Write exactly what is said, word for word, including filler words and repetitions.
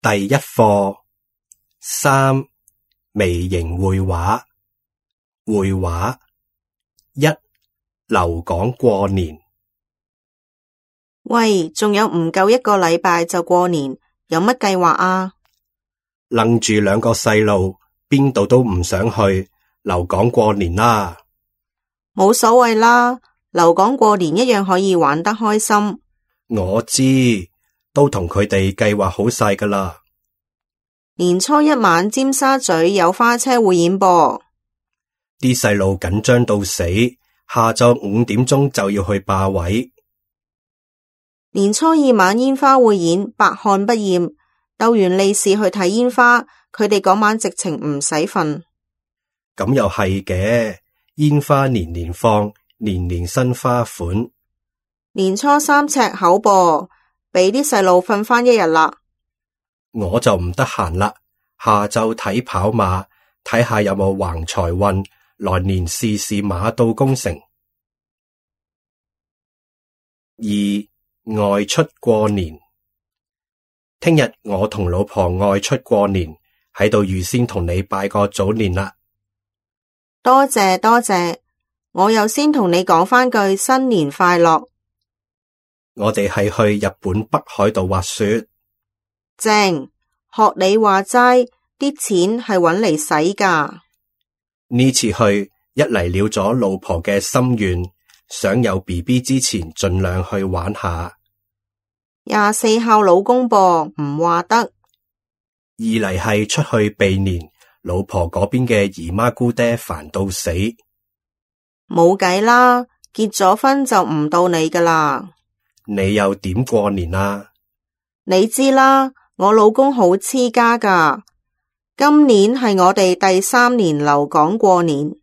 第一課三微型會話。會話一，留港過年。喂，仲有唔夠一個禮拜就過年，有乜計劃啊？楞住兩個細路，邊度都唔想去，留港過年啦。冇所謂啦，留港過年一樣可以玩得開心。我知，都同佢哋計劃好晒㗎啦。年初一晚尖沙咀有花車匯演噃。啲細路緊張到死，下晝五點鐘就要去霸位。年初二晚煙花匯演，百看不厭。鬥完利是去睇煙花，佢哋嗰晚直情唔使瞓。咁又係嘅，煙花年年放，年年新花款。年初三赤口噃，俾啲細路瞓返一日啦。我就唔得閒啦，下晝睇跑馬，睇下有冇橫財運，來年試試馬到功成。二、外出過年。聽日我同老婆外出過年，喺度預先同你拜個早年啦。多謝多謝，我又先同你講返句新年快樂。我哋係去日本北海道滑雪。正，學你話齋，啲錢係搵嚟使㗎。呢次去一嚟了咗老婆嘅心願，想有 B B 之前盡量去玩下。廿四孝老公噃，唔話得。二嚟係出去避年，老婆嗰邊嘅姨媽姑爹煩到死。冇計啦，結咗婚就唔到你㗎啦。你又點過年啊？你知啦，我老公好黐家㗎。今年係我哋第三年留港過年。